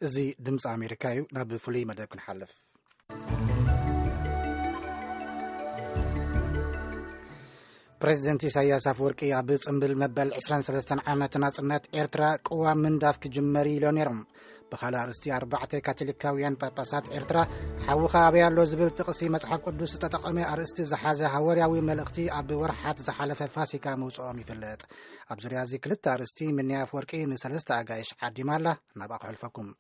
እዚ ድምፂ ኣሜሪካ እዩ። ናብ ፍሉይ መደብ ክንሓልፍ። ፕሬዚደንት ኢሳያስ ኣፈወርቂ ኣብ ጽምብል መበል ዕስራን ሰለስተን ዓመት ናጽነት ኤርትራ ቅዋም ምንዳፍ ክጅመር ኢሎ ነይሮም። ብኻልእ ኣርእስቲ፣ ኣርባዕተ ካቶሊካውያን ጳጳሳት ኤርትራ ሓውኻ ኣበይ ኣሎ ዝብል ጥቕሲ መጽሓፍ ቅዱስ ዝተጠቐመ ኣርእስቲ ዝሓዘ ሃዋርያዊ መልእኽቲ ኣብ ወርሓት ዝሓለፈ ፋሲካ ምውጽኦም ይፍለጥ። ኣብ ዙርያ እዚ ክልተ ኣርእስቲ ምንያ ኣፈወርቂ ንሰለስተ ኣጋይሽ ዓዲማ ኣላ። ናብኣ ክሕልፈኩም።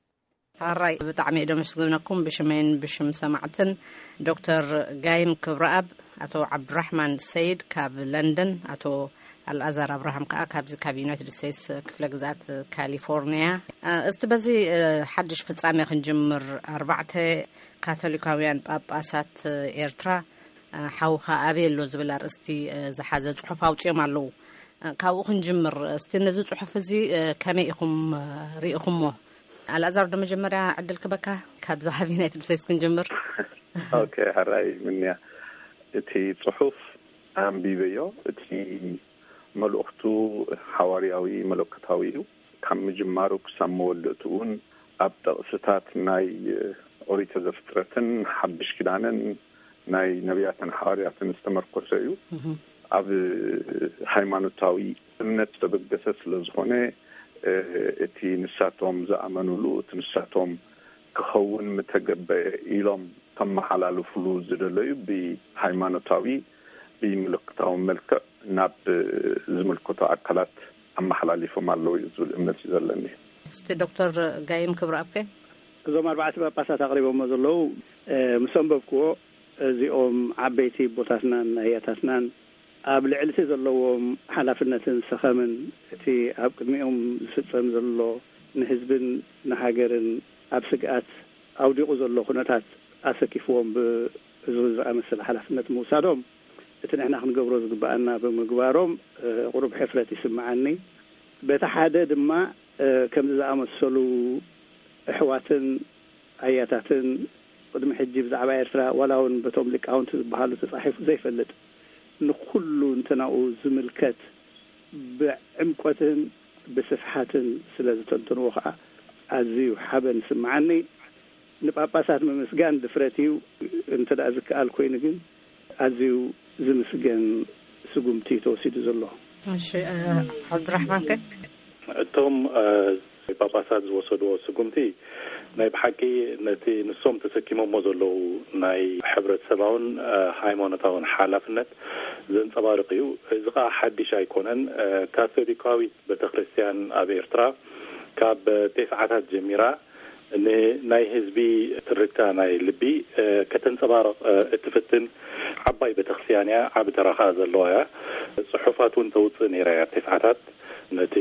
ሓራይ ብጣዕሚ እየ ደመስግነኩም ብሽመይን ብሽም ሰማዕትን። ዶክተር ጋይም ክብረኣብ፣ ኣቶ ዓብዱራሕማን ሰይድ ካብ ለንደን፣ ኣቶ ኣልኣዛር ኣብርሃም ከዓ ካብዚ ካብ ዩናይትድ ስቴትስ ክፍለ ግዝኣት ካሊፎርኒያ። እ፣ እስቲ በዚ፣ እ፣ ሓድሽ ፍጻሜ ክንጅምር። ኣርባዕተ ካቶሊካውያን ጳጳሳት ኤርትራ፣ እ፣ ሓውኻ ኣበይ ኣሎ ዝብል ኣርእስቲ፣ እ፣ ዝሓዘ ጽሑፍ ኣውጺኦም ኣለዉ። እ፣ ካብኡ ክንጅምር። እስቲ ነዚ ጽሑፍ እዚ፣ እ፣ ከመይ ኢኹም፣ እ፣ ርኢኹሞ? ኣልኣዛር፣ ዶ መጀመርያ ዕድል ክበካ፣ ካብዛ ካብ ዩናይትድ ስቴትስ ክንጅምር። ኦኬ፣ ሕራይ ምንያ። እቲ ጽሑፍ ኣንቢበዮ። እቲ መልእኽቱ ሓዋርያዊ መለኮታዊ እዩ። ካብ ምጅማሩ ክሳብ መወዳእቱ እውን ኣብ ጥቕስታት ናይ ኦሪት ዘፍጥረትን ሓድሽ ኪዳንን ናይ ነቢያትን ሓዋርያትን ዝተመርኮሰ እዩ። ኣብ ሃይማኖታዊ እምነት ዝተበገሰ ስለ ዝኾነ፣ እ፣ እቲ ንሳቶም ዝኣመኑሉ፣ እቲ ንሳቶም ክኸውን ምተገበ ኢሎም ከመሓላልፉሉ ዝደለዩ ብሃይማኖታዊ፣ ብምልክታዊ መልክዕ ናብ ዝምልከቶ ኣካላት ኣመሓላሊፎም ኣለዉ እዩ ዝብል እምነት እዩ ዘለኒ። እስቲ ዶክተር ጋይም ክብረኣብ ከ? እዞም ኣርባዕተ ጳጳሳት ኣቕሪቦሞ ዘለዉ፣ እ፣ ምስ ኣንበብክዎ፣ እዚኦም ዓበይቲ ኣቦታትናን ኣያታትናን ኣብ ልዕሊ እቲ ዘለዎም ሓላፍነትን ሰኸምን፣ እቲ ኣብ ቅድሚኦም ዝፍጸም ዘሎ ንህዝብን ንሃገርን ኣብ ስግኣት ኣውዲቑ ዘሎ ኩነታት ኣሰኪፍዎም፣ ብ-፣ እዚ ዝኣመሰለ ሓላፍነት ምውሳዶም፣ እቲ ንሕና ክንገብሮ ዝግብኣና ብምግባሮም፣ እ፣ ቁሩብ ሕፍረት ይስምዓኒ። በቲ ሓደ ድማ፣ እ፣ ከምዚ ዝኣመሰሉ ኣሕዋትን ኣያታትን ቅድሚ ሕጂ ብዛዕባ ኤርትራ፣ ዋላ እውን በቶም ሊቃውንቲ ዝበሃሉ ተጻሒፉ ዘይፈልጥ፣ ንኹሉ እንተናኡ ዝምልከት ብዕምቆትን ብስፍሓትን ስለ ዝተንተንዎ ከኣ ኣዝዩ ሓበን ይስምዓኒ። ንጳጳሳት ምምስጋን ድፍረት እዩ፣ እንተ ደኣ ዝከኣል ኮይኑ ግን ኣዝዩ ዝምስገን ስጉምቲ ተወሲዱ ዘሎ። እሺ፣ እ፣ ዓብዱራሕማን ከ? እቶም፣ እ፣ ጳጳሳት ዝወሰድዎ ስጉምቲ ናይ ብሓቂ ነቲ ንሶም ተሰኪሞሞ ዘለዉ ናይ ሕብረተሰባውን፣ እ፣ ሃይማኖታውን ሓላፍነት ዘንጸባርቕ እዩ። እዚ ኸኣ ሓድሽ ኣይኮነን። እ፣ ካቶሊካዊት ቤተክርስትያን ኣብ ኤርትራ ካብ ቴስዓታት ጀሚራ ንናይ ህዝቢ ትርክታ ናይ ልቢ፣ እ፣ ከተንጸባርቕ፣ እ፣ እትፍትን ዓባይ ቤተክርስትያን እያ። ዓቢ ተራ ኸኣ ዘለዋ እያ። ጽሑፋት እውን ተውጽእ ነይራ እያ ኣብ ቴስዓታት። ነቲ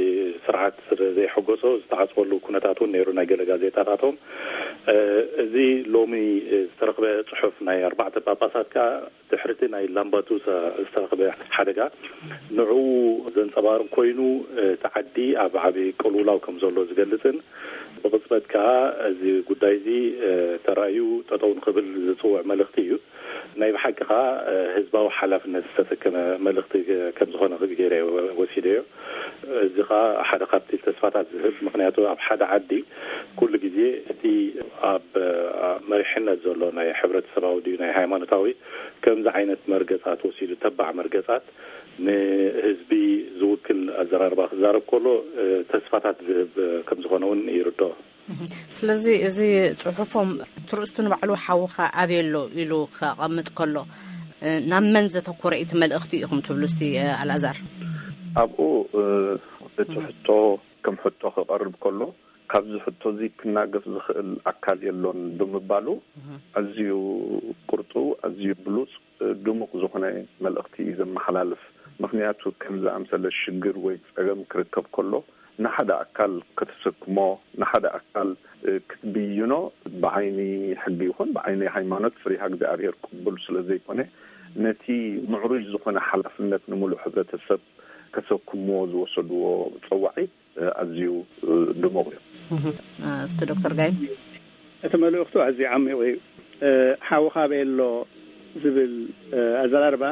ስርዓት ስለ ዘይሐጎሶ ዝተዓጽወሉ ኩነታት እውን ነይሩ፣ ናይ ገለ ጋዜጣታቶም። እ፣ እዚ ሎሚ ዝተረኽበ ጽሑፍ ናይ ኣርባዕተ ጳጳሳት ከኣ ድሕሪ እቲ ናይ ላምባዱሳ ዝተረኽበ ሓደጋ ንዕኡ ዘንጸባርቕ ኮይኑ፣ እቲ ዓዲ ኣብ ዓቢ ቅልውላው ከም ዘሎ ዝገልጽን ብቕጽበት ከኣ እዚ ጉዳይ እዚ፣ እ፣ ተራእዩ ጠጠው ንኽብል ዝጽውዕ መልእኽቲ እዩ። ናይ ብሓቂ ከኣ፣ እ፣ ህዝባዊ ሓላፍነት ዝተሰከመ መልእኽቲ ከም ዝኾነ ገይረ ወሲደዮ። እዚ ከኣ ሓደ ካብቲ ተስፋታት ዝህብ፣ ምኽንያቱ ኣብ ሓደ ዓዲ ኩሉ ግዜ እቲ ኣብ፣ እ፣ መሪሕነት ዘሎ ናይ ሕብረተሰባዊ ድዩ ናይ ሃይማኖታዊ ከምዚ ዓይነት መርገጻት ወሲዱ፣ ተባዕ መርገጻት ንህዝቢ ዝውክል ኣዘራርባ ክዛረብ ከሎ፣ እ፣ ተስፋታት ዝህብ፣ እ፣ ከም ዝኾነ እውን ይርድኦ። እህ፣ ስለዚ እዚ ጽሑፎም ትርእስቱ ንባዕሉ ሓውኻ ኣበይ ኣሎ ኢሉ ከቐምጥ ከሎ፣ እ፣ ናብ መን ዘተኮረ እዩ እቲ መልእኽቲ ኢኹም ትብሉ እስቲ፣ እ፣ ኣልኣዛር? ኣብኡ፣ እ፣ እቲ እህ። ሕቶ ከም ሕቶ ክቐርብ ከሎ፣ ካብዚ ሕቶ እዚ ክናገፍ ዝኽእል ኣካል የሎን ብምባሉ፣ እህ። ኣዝዩ ቁርጡ፣ ኣዝዩ ብሉጽ፣ እ፣ ድሙቕ ዝኾነ መልእኽቲ እዩ ዘመሓላልፍ። ምኽንያቱ ከም ዝኣምሰለ ሽግር ወይ ጸገም ክርከብ ከሎ፣ ንሓደ ኣካል ከተሰክሞ፣ ንሓደ ኣካል፣ እ፣ ክትብይኖ ብዓይኒ ሕጊ ይኹን ብዓይኒ ሃይማኖት ፍሪሃ እግዚኣብሔር ቅቡል ስለ ዘይኮነ፣ ነቲ ምዕሩይ ዝኾነ ሓላፍነት ንምሉእ ሕብረተሰብ ከሰክምዎ ዝወሰድዎ ጸዋዒት፣ እ፣ ኣዝዩ፣ እ፣ ድሙቕ እዩ። እህ፣ እ፣ እስቲ ዶክተር ጋይም? እቲ መልእኽቱ ኣዝዩ ዓሚቕ እዩ። እ፣ ሓውኻ ኣበይ ኣሎ ዝብል፣ እ፣ ኣዘራርባ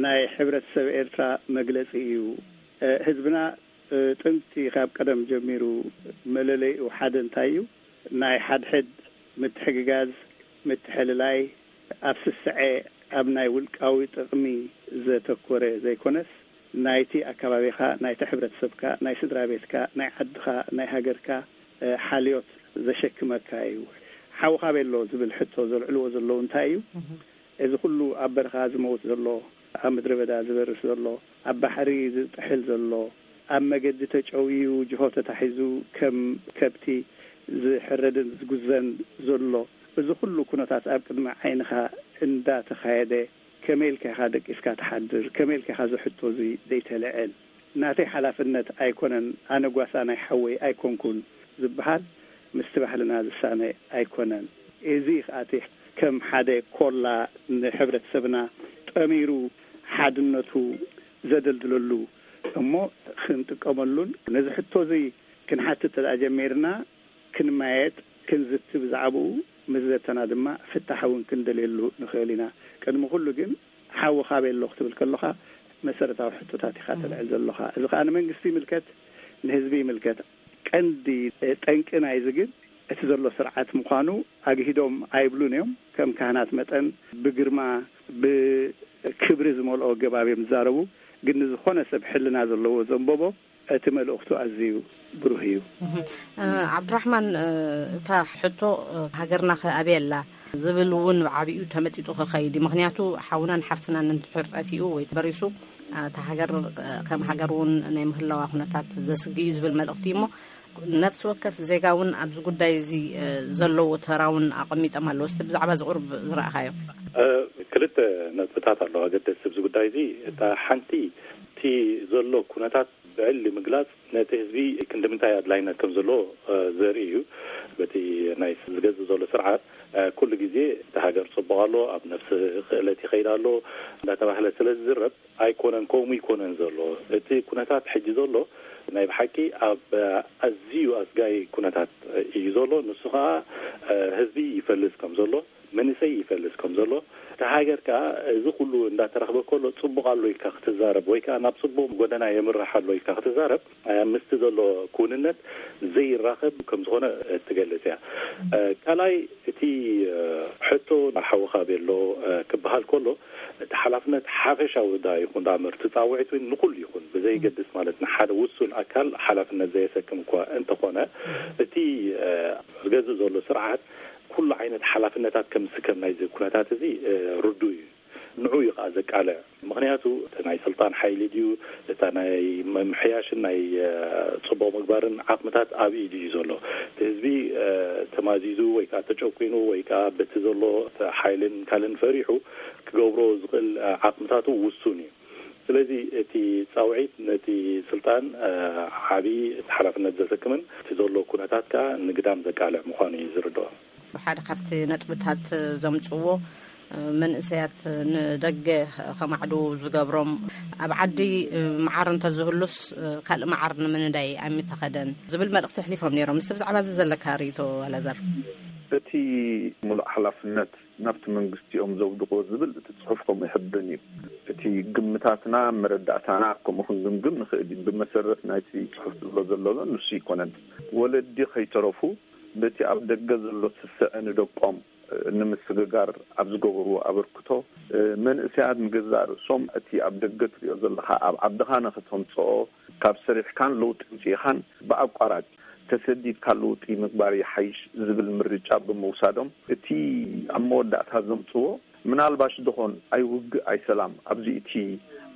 ናይ ሕብረተሰብ ኤርትራ መግለጺ እዩ። እ፣ ህዝብና፣ እ፣ ጥንቲ ካብ ቀደም ጀሚሩ መለለይኡ ሓደ እንታይ እዩ? ናይ ሓድሕድ ምትሕግጋዝ፣ ምትሕልላይ፣ ኣብ ስስዐ፣ ኣብ ናይ ውልቃዊ ጥቕሚ ዘተኮረ ዘይኮነስ፣ ናይቲ ኣከባቢኻ፣ ናይቲ ሕብረተሰብካ፣ ናይ ስድራ ቤትካ፣ ናይ ዓድኻ፣ ናይ ሃገርካ፣ እ፣ ሓልዮት ዘሸክመካ እዩ። ሓውኻ ቤሎ ዝብል ሕቶ ዘልዕልዎ ዘለዉ እንታይ እዩ? እዚ ኩሉ ኣብ በረኻ ዝመውት ዘሎ፣ ኣብ ምድረ በዳ ዝበርስ ዘሎ፣ ኣብ ባሕሪ ዝጥሕል ዘሎ፣ ኣብ መገዲ ተጨውዩ ጅሆ ተታሒዙ ከም ከብቲ ዝሕረድን ዝጉዘን ዘሎ፣ እዚ ኩሉ ኩነታት ኣብ ቅድሚ ዓይንኻ እንዳተኻየደ፣ ከመይ ኢልካ ኢኻ ደቂስካ ትሓድር? ከመይ ኢልካ ኢኻ እዚ ሕቶ እዚ ዘይተልዕል? ናተይ ሓላፍነት ኣይኮነን፣ ኣነ ጓሳ ናይ ሓወይ ኣይኮንኩን ዝበሃል ምስቲ ባህልና ዝሳነ ኣይኮነን። እዚ ከኣ እቲ ከም ሓደ ኮላ ንሕብረተሰብና ጠሚሩ ሓድነቱ ዘደልድለሉ እሞ ክንጥቀመሉን ነዚ ሕቶ እዚ ክንሓትት ተደኣ ጀሚርና ክንማየጥ፣ ክንዝቲ ብዛዕባኡ ምስ ዘተና ድማ ፍታሕ እውን ክንደልየሉ ንኽእል ኢና። ቅድሚ ኩሉ ግን ሓውኻ ቤሎ ክትብል ከለኻ መሰረታዊ ሕቶታት ኢኻ ተልዕል ዘለኻ። እዚ ከኣ ንመንግስቲ ይምልከት፣ ንህዝቢ ይምልከት። ቀንዲ ጠንቂ ናይዚ ግን እቲ ዘሎ ስርዓት ምዃኑ ኣግሂዶም ኣይብሉን እዮም። ከም ካህናት መጠን ብግርማ፣ ብክብሪ ዝመልኦ ኣገባብ እዮም ዝዛረቡ። ግን ንዝኾነ ሰብ ሕልና ዘለዎ ዘንበቦ እቲ መልእኽቱ ኣዝዩ ብሩህ እዩ። እህ፣ እ፣ ዓብድራሕማን፣ እ፣ እታ ሕቶ፣ እ፣ ሃገርና ከ ኣበይ ኣላ ዝብል እውን ብዓቢኡ ተመጢጡ ክኸይድ እዩ። ምኽንያቱ ሓውናን ሓፍትናን እንትሕር ጠፊኡ ወይ ተበሪሱ፣ እ፣ እታ ሃገር፣ እ፣ ከም ሃገር እውን ናይ ምህላዋ ኩነታት ዘስግእ እዩ ዝብል መልእኽቲ እዩ። እሞ ነፍሲ ወከፍ ዜጋ እውን ኣብዚ ጉዳይ እዚ፣ እ፣ ዘለዎ ተራ እውን ኣቐሚጦም ኣለዉ። እስቲ ብዛዕባ እዚ ቁሩብ ዝረኣኻዮ። እ፣ ክልተ ነጥብታት ኣለዋ ኣገደስቲ ኣብዚ ጉዳይ እዚ። እታ ሓንቲ እቲ ዘሎ ኩነታት ብዕሊ ምግላጽ ነቲ ህዝቢ ክንዲ ምንታይ ኣድላይነት ከም ዘለዎ፣ እ፣ ዘርኢ እዩ። በቲ ናይ ዝገዝእ ዘሎ ስርዓት፣ እ፣ ኩሉ ግዜ እቲ ሃገር ጽቡቕ ኣሎ፣ ኣብ ነፍሲ ክእለት ይኸይድ ኣሎ እንዳተባህለ ስለ ዝዝረብ ኣይኮነን፣ ከምኡ ይኮነን ዘሎ። እቲ ኩነታት ሕጂ ዘሎ ናይ ብሓቂ ኣብ ኣዝዩ ኣስጋኢ ኩነታት እዩ ዘሎ። ንሱ ኸኣ፣ እ፣ ህዝቢ ይፈልስ ከም ዘሎ፣ መንእሰይ ይፈልስ ከም ዘሎ፣ እቲ ሃገር ከኣ እዚ ኩሉ እንዳተረኽበ ከሎ ጽቡቕ ኣሎ ኢልካ ክትዛረብ ወይ ከኣ ናብ ጽቡቕ ጎደና የምርሕ ኣሎ ኢልካ ክትዛረብ፣ እ፣ ምስቲ ዘሎ ክውንነት ዘይራኸብ ከም ዝኾነ እትገልጽ እያ። እ፣ ካልኣይ እቲ፣ እ፣ ሕቶ ሓውኻ ቤሎ፣ እ፣ ክበሃል ከሎ እቲ ሓላፍነት ሓፈሻዊ ዳ ይኹን ዳ እምበር እቲ ጻውዒት እውን ንኹሉ ይኹን ብዘይገድስ ማለት ንሓደ ውሱን ኣካል ሓላፍነት ዘየሰክም እኳ እንተኾነ እቲ፣ እ፣ ዝገዝእ ዘሎ ስርዓት ኩሉ ዓይነት ሓላፍነታት ከም ዝስከም ናይዚ ኩነታት እዚ፣ እ፣ ርዱእ እዩ። ንዑ እዩ ከኣ ዘቃልዕ። ምኽንያቱ እቲ ናይ ስልጣን ሓይሊ ድዩ፣ እታ ናይ ምምሕያሽን ናይ፣ እ፣ ጽቡቕ ምግባርን ዓቕምታት ኣብ ኢዱ እዩ ዘሎ። እቲ ህዝቢ፣ እ፣ ተማዚዙ ወይ ከኣ ተጨኲኑ ወይ ከኣ በቲ ዘሎ ሓይልን ካልእን ፈሪሑ ክገብሮ ዝኽእል፣ እ፣ ዓቕምታቱ ውሱን እዩ። ስለዚ እቲ ጻውዒት ነቲ ስልጣን፣ እ፣ ዓቢ ሓላፍነት ዘሰክምን እቲ ዘሎ ኩነታት ከኣ ንግዳም ዘቃልዕ ምዃኑ እዩ ዝርድኦ። ሓደ ካብቲ ነጥብታት ዘምጽዎ፣ እ፣ መንእሰያት ንደገ ከማዕድዉ ዝገብሮም፣ ኣብ ዓዲ፣ እ፣ መዓር እንተዝህሉስ፣ እ፣ ካልእ መዓር ንምንዳይ ኣይምተኸደን ዝብል መልእኽቲ ኣሕሊፎም ነይሮም። ንስ ብዛዕባ እዚ ዘለካ ርእይቶ ኣላዛር? እቲ ሙሉእ ሓላፍነት ናብቲ መንግስቲ እዮም ዘውድቕዎ ዝብል እቲ ጽሑፍ ከምኡ ይሕብን እዩ። እቲ ግምታትና፣ መረዳእታና ከምኡ ክንግምግም ንኽእል እዩ። ብመሰረት ናይቲ ጽሑፍ ዝብሎ ዘሎ ግን ንሱ ይኮነን። ወለዲ ከይተረፉ በቲ ኣብ ደገ ዘሎ ስስዐ ንደቆም ንምስግጋር ኣብ ዝገበርዎ ኣበርክቶ፣ መንእሰያት ንገዛእ ርእሶም እቲ ኣብ ደገ ትሪኦ ዘለኻ ኣብ ዓድኻ ንኽተምጽኦ ካብ ሰሪሕካን ለውጢ ኣምጺእኻን ብኣቋራጭ ተሰዲድካ ለውጢ ምግባር ይሓይሽ ዝብል ምርጫ ብምውሳዶም፣ እቲ ኣብ መወዳእታ ዘምጽዎ፣ ምናልባሽ ድኾን ኣይውግእ ኣይሰላም ኣብዚ እቲ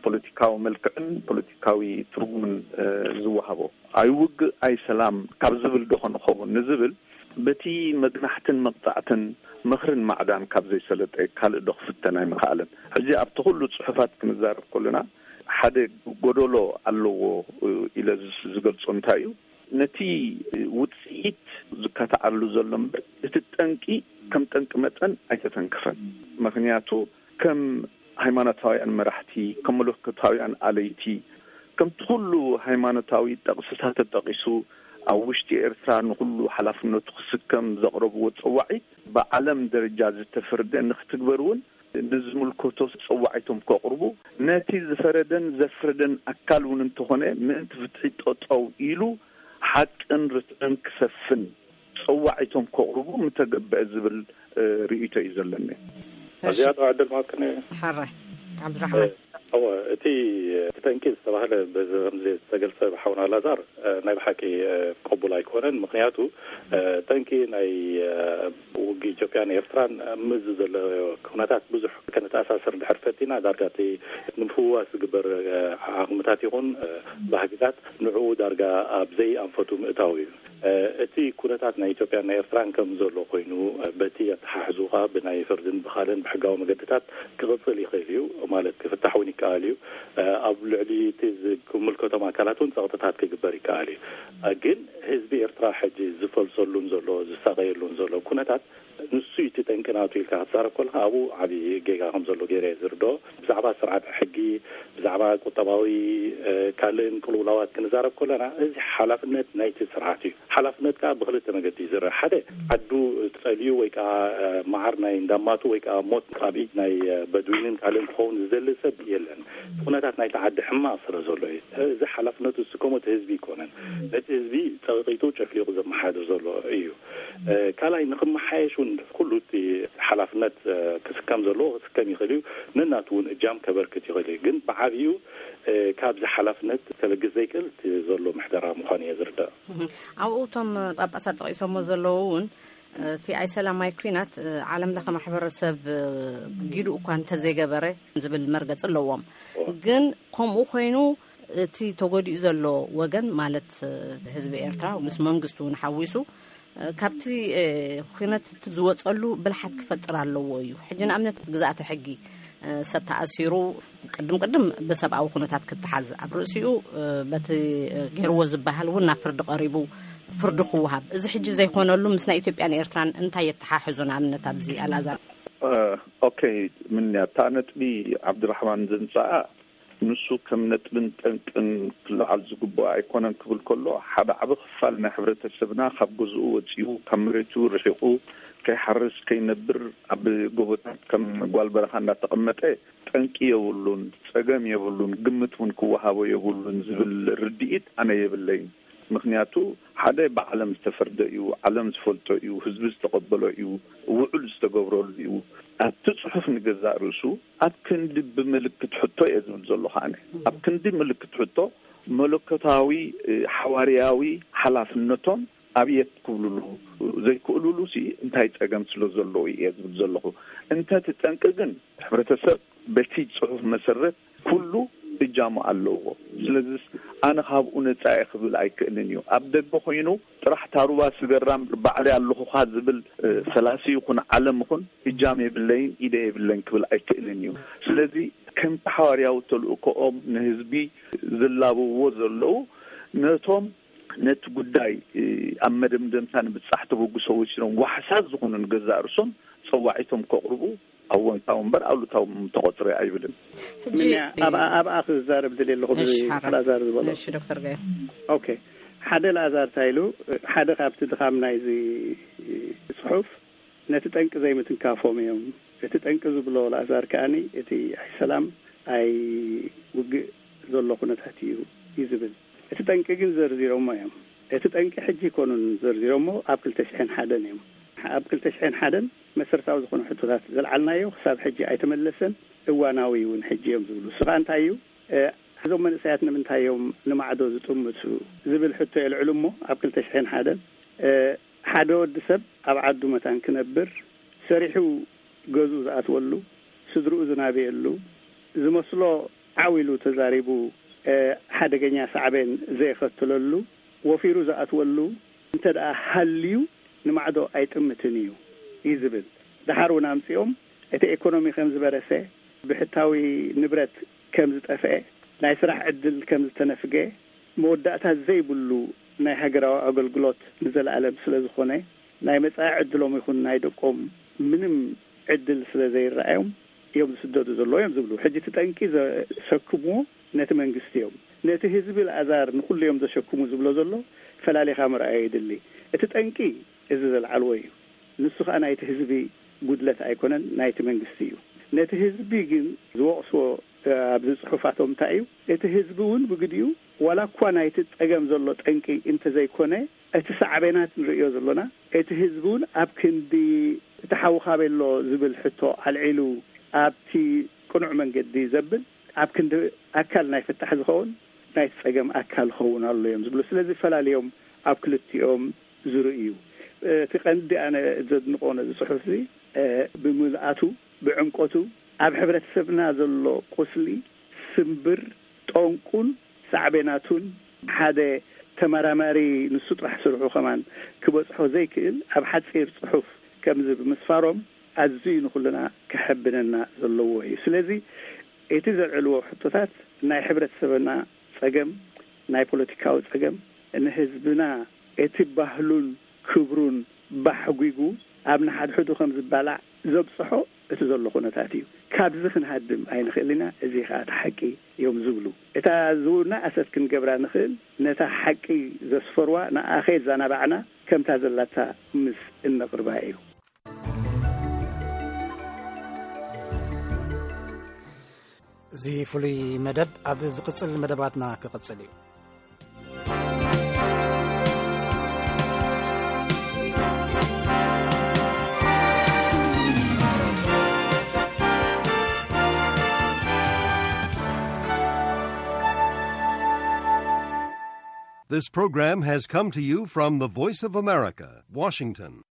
ፖለቲካዊ መልክዕን ፖለቲካዊ ትርጉምን፣ እ፣ ዝወሃቦ። ኣይውግእ ኣይሰላም ካብ ዝብል ድኾን ኸውን ንዝብል፣ በቲ መግናሕትን መቕጻዕትን ምኽርን ማዕዳን ካብ ዘይሰለጠ ካልእ ዶ ክፍተን ኣይምኸኣለን። ሕጂ ኣብቲ ኩሉ ጽሑፋት ክንዛረብ ከለና፣ ሓደ ጎደሎ ኣለዎ ኢለ ዝገልጾ እንታይ እዩ? ነቲ ውጽኢት ዝከታዓሉ ዘሎ እምበር፣ እቲ ጠንቂ ከም ጠንቂ መጠን ኣይተተንከፈን። ምኽንያቱ ከም ሃይማኖታውያን መራሕቲ፣ ከም መለኮታውያን ኣለይቲ፣ ከምቲ ኩሉ ሃይማኖታዊ ጥቕስታት ተጠቒሱ፣ ኣብ ውሽጢ ኤርትራ ንኹሉ ሓላፍነቱ ክስከም ዘቕረብዎ ጸዋዒት፣ ብዓለም ደረጃ ዝተፈርደ ንክትግበር እውን ንዝምልከቶ ጸዋዒቶም ከቕርቡ፣ ነቲ ዝፈረደን ዘፍረደን ኣካል እውን እንተኾነ ምእንቲ ፍትሒ ጠጠው ኢሉ ሓቅን ርትዕን ክሰፍን ጸዋዒቶም ከቕርቡ ምተገበአ ዝብል፣ እ፣ ርእይቶ እዩ ዘለኒ። እዚኣ ዕድል ማክነ ሓራይ ዓብድራሕማን እወ፣ እቲ እቲ ጠንቂ ዝተባህለ በዚ ከምዚ ዝተገልጸ ብሓውና ላዛር፣ እ፣ ናይ ብሓቂ፣ እ፣ ቅቡል ኣይኮነን። ምክንያቱ፣ እ፣ ጠንቂ ናይ፣ እ፣ ውግእ ኢትዮጵያን ኤርትራን፣ እ፣ ምዚ ዘሎ ኩነታት ብዙሕ ከነተኣሳስር እንድሕር ፈቲና፣ ዳርጋ እቲ ንምፍዋስ ዝግበር፣ እ፣ ዓቕምታት ይኹን፣ እ፣ ባህግታት ንዕኡ ዳርጋ ኣብ ዘይኣንፈቱ ምእታው እዩ። እ፣ እቲ ኩነታት ናይ ኢትዮጵያን ናይ ኤርትራን ከም ዘሎ ኮይኑ፣ እ፣ በቲ ኣተሓሕዙ ከኣ ብናይ ፍርድን ብኻልእን ብሕጋዊ መገድታት ክቕጽል ይኽእል እዩ፣ ማለት ክፍታሕ እውን ይከኣል እዩ። እ፣ ኣብ ልዕሊ እቲ ዝምልከቶም ኣካላት እውን ጸቕጥታት ክግበር ይከኣል እዩ። እ፣ ግን ህዝቢ ኤርትራ ሕጂ ዝፈልሰሉን ዘሎ ዝሳቐየሉን ዘሎ ኩነታት ንሱ እቲ ጠንቂ ናቱ ኢልካ ክትዛረብ ከለኻ ኣብኡ ዓቢ ጌጋ ከም ዘሎ ገይረ እየ ዝርድኦ። ብዛዕባ ስርዓተ ሕጊ፣ ብዛዕባ ቁጠባዊ፣ እ፣ ካልእን ቅልውላዋት ክንዛረብ ከለና፣ እዚ ሓላፍነት ናይቲ ስርዓት እዩ። ሓላፍነት ከኣ ብክልተ መገዲ እዩ ዝረአ። ሓደ፣ ዓዱ ጸልዩ ወይ ከኣ፣ እ፣ መዓር ናይ እንዳማቱ ወይ ከኣ ሞት ኣብ ኢድ ናይ፣ እ፣ በድዊንን ካልእን ክኸውን ዝደሊ ሰብ የለን። ኩነታት ናይቲ ዓዲ ሕማቕ ስለ ዘሎ እዩ። እዚ ሓላፍነቱ ዝስከሞ እቲ ህዝቢ ኣይኮነን። ነቲ ህዝቢ ጸቒጡ ጨፍሊቑ ዘመሓድር ዘሎ እዩ። እ፣ ካልኣይ፣ ንኽመሓየሽ እውን ኩሉ እቲ ሓላፍነት፣ እ፣ ክስከም ዘለዎ ክስከም ይኽእል እዩ። ነናቱ እውን እጃም ከበርክት ይኽእል እዩ። ግን ብዓብዩ፣ እ፣ ካብዚ ሓላፍነት ከበግስ ዘይክእል እቲ ዘሎ ምሕደራ ምዃኑ እየ ዝርዳእ። እህ፣ ኣብኡ እቶም ጳጳሳት ጠቒሶሞ ዘለዉ እውን፣ እ፣ እቲ ኣይሰላማይ ኲናት፣ እ፣ ዓለም ለኸ ማሕበረሰብ፣ እ፣ ጊዱ እኳ እንተዘይገበረ ዝብል መርገጺ ኣለዎም። ግን ከምኡ ኮይኑ እቲ ተጎዲኡ ዘሎ ወገን ማለት፣ እ፣ ህዝቢ ኤርትራ ምስ መንግስቱ እውን ሓዊሱ፣ እ፣ ካብቲ፣ እ፣ ኲነት እቲ ዝወጸሉ ብልሓት ክፈጥር ኣለዎ እዩ። ሕጂ ንኣብነት ግዝኣተ ሕጊ፣ እ፣ ሰብ ተኣሲሩ ቅድም ቅድም ብሰብኣዊ ኩነታት ክተሓዝ፣ ኣብ ርእሲኡ፣ እ፣ በቲ፣ እ፣ ገይርዎ ዝበሃል እውን ናብ ፍርዲ ቀሪቡ ፍርዲ ክወሃብ፣ እዚ ሕጂ ዘይኮነሉ ምስ ናይ ኢትዮጵያን ኤርትራን እንታይ የተሓሕዞ? ንኣብነት ኣብዚ ኣልኣዛር እ፣ ኦኬ፣ ምንያ እታ ነጥቢ ዓብድራሕማን ዘንጻኣ ንሱ ከም ነጥብን ጠንቅን ክለዓል ዝግብኦ ኣይኮነን ክብል ከሎ፣ ሓደ ዓቢ ክፋል ናይ ሕብረተሰብና ካብ ገዝኡ ወጺኡ፣ ካብ መሬቱ ርሒቑ፣ ከይሓርስ ከይነብር፣ ኣብ ጎቦታት ከም ጓል በረኻ እንዳተቐመጠ ጠንቂ የብሉን፣ ጸገም የብሉን፣ ግምት እውን ክወሃቦ የብሉን ዝብል ርድኢት ኣነ የብለይን። ምኽንያቱ ሓደ ብዓለም ዝተፈርደ እዩ፣ ዓለም ዝፈልጦ እዩ፣ ህዝቢ ዝተቐበሎ እዩ፣ ውዕል ዝተገብረሉ እዩ። ኣብቲ ጽሑፍ ንገዛእ ርእሱ ኣብ ክንዲ ብምልክት ሕቶ እየ ዝብል ዘለኹ ኣነ። ኣብ ክንዲ ምልክት ሕቶ መለኮታዊ፣ እ፣ ሓዋርያዊ ሓላፍነቶም ኣብየት ክብልሉ ዘይክእልሉ ሲ እንታይ ጸገም ስለ ዘለዉ እየ ዝብል ዘለኹ። እንተ እቲ ጠንቂ ግን ሕብረተሰብ በቲ ጽሑፍ መሰረት ኩሉ እጃሙ ኣለዎ። ስለዚስ ኣነ ካብኡ ነጻ እየ ክብል ኣይክእልን እዩ። ኣብ ደገ ኮይኑ ጥራሕ ታሩባ ስገራም ባዕለይ ኣለኹኻ ዝብል፣ እ፣ ፈላሲ ይኹን ዓለም ይኹን እጃም የብለይን፣ ኢደ የብለይን ክብል ኣይክእልን እዩ። ስለዚ ከምቲ ሓዋርያዊ ተልእኮኦም ንህዝቢ ዝላበውዎ ዘለዉ፣ ነቶም ነቲ ጉዳይ፣ እ፣ ኣብ መደምደምታ ንምብጻሕ ተበግሶ ወሲኖም ዋሕሳት ዝኾኑ ንገዛእ ርእሶም ጸዋዒቶም ከቕርቡ ኣወንታዊ እምበር ኣሉታዊ ተቖጽረ ኣይብልን። ሕጂ ምንያ ኣብኣ ኣብኣ ክዛረብ ደልየ ኣለኹ። ብዚ እሺ፣ ሓራ። ላዛር ዝበሎ እሺ ዶክተር ገ ኦኬ፣ ሓደ ላዛር እንታይ ኢሉ? ሓደ ካብቲ ድኻም ናይዚ ጽሑፍ ነቲ ጠንቂ ዘይምትንካፎም እዮም። እቲ ጠንቂ ዝብሎ ላዛር ከኣኒ እቲ ኣይ ሰላም ኣይ ውግእ ዘሎ ኩነታት እዩ እዩ ዝብል። እቲ ጠንቂ ግን ዘርዚሮሞ እዮም። እቲ ጠንቂ ሕጂ ይኮኑን ዘርዚሮሞ፣ ኣብ ክልተ ሽሕን ሓደን እዮም። ኣብ ክልተ ሽሕን ሓደን መሰረታዊ ዝኾኑ ሕቶታት ዘልዓልናዮ ክሳብ ሕጂ ኣይተመለሰን፣ እዋናዊ እውን ሕጂ እዮም ዝብሉ። እሱ ከዓ እንታይ እዩ? እ፣ እዞም መንእሰያት ንምንታይ እዮም ንማዕዶ ዝጥምቱ ዝብል ሕቶ የልዕሉ እሞ፣ ኣብ ክልተ ሽሕን ሓደን፣ እ፣ ሓደ ወዲ ሰብ ኣብ ዓዱ መታን ክነብር፣ ሰሪሑ ገዝኡ ዝኣትወሉ፣ ስድርኡ ዝናብየሉ፣ ዝመስሎ ዓው ኢሉ ተዛሪቡ፣ እ፣ ሓደገኛ ሳዕቤን ዘየኸትለሉ፣ ወፊሩ ዝኣትወሉ እንተ ደኣ ሃልዩ ንማዕዶ ኣይጥምትን እዩ እዩ ዝብል። ደሓር እውን ኣምጺኦም እቲ ኤኮኖሚ ከም ዝበረሰ፣ ብሕታዊ ንብረት ከም ዝጠፍአ፣ ናይ ስራሕ ዕድል ከም ዝተነፍገ፣ መወዳእታ ዘይብሉ ናይ ሃገራዊ ኣገልግሎት ንዘለኣለም ስለ ዝኾነ፣ ናይ መጻኢ ዕድሎም ይኹን ናይ ደቆም ምንም ዕድል ስለ ዘይረኣዮም እዮም ዝስደዱ ዘለዉ እዮም ዝብሉ። ሕጂ እቲ ጠንቂ ዘሰክምዎ ነቲ መንግስቲ እዮም። ነቲ ህዝቢ ልኣዛር ንኹሉ እዮም ዘሸክሙ ዝብሎ ዘሎ ፈላሊኻ ምርኣይ የድሊ። እቲ ጠንቂ እዚ ዘልዓልዎ እዩ። ንሱ ኸኣ ናይቲ ህዝቢ ጉድለት ኣይኮነን፣ ናይቲ መንግስቲ እዩ። ነቲ ህዝቢ ግን ዝወቕስዎ፣ እ፣ ኣብዚ ጽሑፋቶም እንታይ እዩ? እቲ ህዝቢ እውን ብግዲኡ ዋላ እኳ ናይቲ ጸገም ዘሎ ጠንቂ እንተዘይኮነ፣ እቲ ሳዕቤናት ንርእዮ ዘሎና፣ እቲ ህዝቢ እውን ኣብ ክንዲ እቲ ሓውኻ ቤሎ ዝብል ሕቶ ኣልዒሉ ኣብቲ ቅኑዕ መንገዲ ዘብል፣ ኣብ ክንዲ ኣካል ናይ ፍታሕ ዝኸውን ናይቲ ጸገም ኣካል ክኸውን ኣሎ እዮም ዝብሉ። ስለዚ ፈላልዮም ኣብ ክልቲኦም ዝርእዩ። እቲ ቀንዲ ኣነ ዘድንቆ ነዚ ጽሑፍ እዚ፣ እ፣ ብምልኣቱ፣ ብዕምቆቱ፣ ኣብ ሕብረተሰብና ዘሎ ቁስሊ ስምብር፣ ጠንቁን ሳዕቤናቱን ሓደ ተመራማሪ ንሱ ጥራሕ ስርሑ ከማን ክበጽሖ ዘይክእል ኣብ ሓጺር ጽሑፍ ከምዚ ብምስፋሮም ኣዝዩ ንኹልና ከሐብነና ዘለዎ እዩ። ስለዚ እቲ ዘልዕልዎ ሕቶታት ናይ ሕብረተሰብና ጸገም፣ ናይ ፖለቲካዊ ጸገም፣ ንህዝብና እቲ ባህሉን ክብሩን ባሕጒጉ ኣብ ንሓድሕዱ ከም ዝባላዕ ዘብጽሖ እቲ ዘሎ ኩነታት እዩ። ካብዚ ክንሃድም ኣይንኽእል ኢና፣ እዚ ኸኣ እቲ ሓቂ እዮም ዝብሉ። እታ ዝውና ኣሰት ክንገብራ ንኽእል፣ ነታ ሓቂ ዘስፈርዋ ንኣኸ ዘናባዕና ከምታ ዘላታ ምስ እነቕርባ እዩ። እዚ ፍሉይ መደብ ኣብ ዝቕጽል መደባትና ክቕጽል እዩ። This program has come to you from the Voice of America, Washington.